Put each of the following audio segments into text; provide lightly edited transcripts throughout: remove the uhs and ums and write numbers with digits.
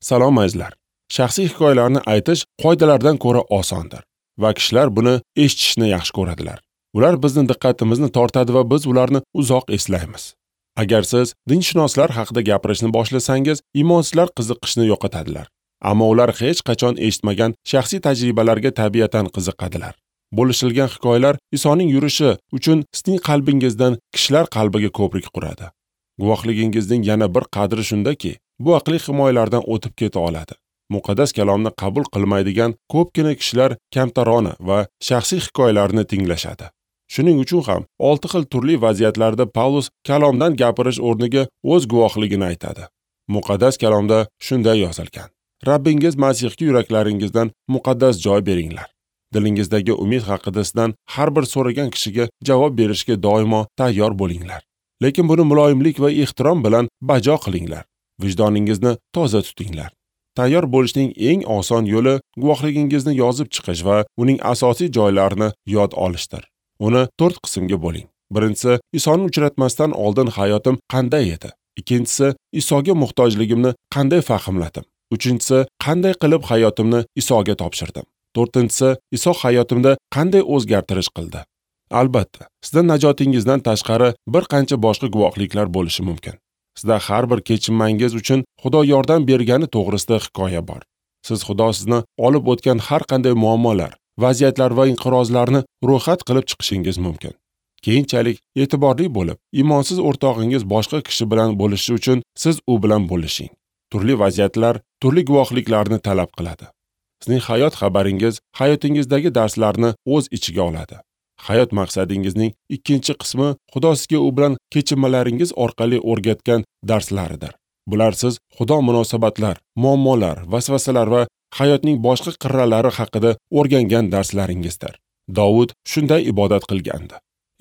Salom azizlar. Shaxsiy hikoyalarni aytish qoidalardan ko'ra osondir va kishilar buni eshitishni yaxshi ko'radilar. Ular bizni diqqatimizni tortadi va biz ularni uzoq eslaymiz. Agar siz dinshunoslar haqida gapirishni boshlasangiz, imonsizlar qiziqishni yo'qotadilar. Ammo ular hech qachon eshitmagan shaxsiy tajribalarga tabiatan qiziqadilar. Bo'lishilgan hikoyalar Isoning yurishi uchun sizning qalbingizdan kishilar qalbiga ko'prik quradi. Guvohligingizning yana bir qadri shundaki, bu aqliy himoyalardan o'tib keta oladi. Muqaddas kalomni qabul qilmaydigan ko'pgina kishilar kamtarona va shaxsiy hikoyalarni tinglashadi. Shuning uchun ham 6 xil turli vaziyatlarda Pavlus kalomdan gapirish o'rniga o'z guvohligini aytadi. Muqaddas kalomda shunday yozilgan: Rabbingiz Masihga yuraklaringizdan muqaddas joy beringlar. Dilingizdagi umid haqida sizdan har bir so'ragan kishiga javob berishga doimo tayyor bo'linglar. Lekin buni muloyimlik va ehtirom bilan bajo qilinglar. Vijdoningizni toza tutinglar. Tayyor bo'lishning eng oson yo'li guvohligingizni yozib chiqish va uning asosiy joylarini yod olishdir. Uni 4 qismga bo'ling. Birinchisi, Isoni uchratmasdan oldin hayotim qanday edi? Ikkinchisi, Isoga muhtojligimni qanday fahmladim? Uchinchisi, qanday qilib hayotimni Isoga topshirdim? To'rtinchisi, Iso hayotimda qanday o'zgartirish qildi? Albatta, sizda najotingizdan tashqari bir qancha boshqa guvohliklar bo'lishi mumkin. Sizda har bir kechinmangiz uchun Xudo yordam bergani to'g'risida hikoya bor. Siz Xudo sizni olib o'tgan har qanday muammolar, vaziyatlar va inqirozlarni ro'yxat qilib chiqishingiz mumkin. Keyinchalik e'tiborli bo'lib, imonsiz o'rtog'ingiz boshqa kishi bilan bo'lishishi uchun siz u bilan bo'lishing. Turli vaziyatlar turli guvohliklarni talab qiladi. Sizning hayot xabaringiz hayotingizdagi darslarni o'z ichiga oladi. Hayot maqsadingizning ikkinchi qismi Xudo sizga u bilan kechinmalaringiz orqali o'rgatgan darslaridir. Bular siz Xudo munosabatlar, muammolar, vasvasalar va hayotning boshqa qirralari haqida o'rgangan darslaringizdir. Dovud shunday ibodat qilgandi: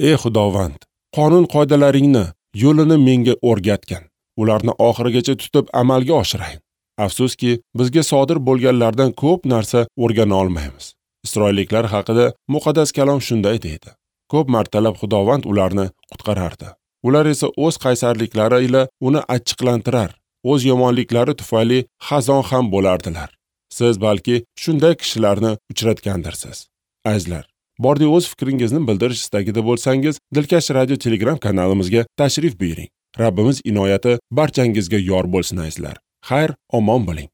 Ey Xudovand, qonun qoidalaringni, yo'lini menga o'rgatgin. Ularni oxirigacha tutib amalga oshirayin. Afsuski, bizga sodir bo'lganlardan ko'p narsa o'rgana olmaymiz. Isroilliklar haqida muqaddas kalom shunday deydi: Ko'p martalab Xudovand ularni qutqarardi. Ular esa o'z qaysarliklari ila uni achchiqlantirar, o'z yomonliklari tufayli xazon ham bo'lardilar. Siz balki shunday kishilarni uchratgandirsiz. Azizlar, bordi o'z fikringizni bildirish istagida bo'lsangiz, Dilkash radio Telegram kanalimizga tashrif buyuring. Rabbimiz inoyati barchangizga yor bo'lsin azizlar. Xayr, omon bo'ling.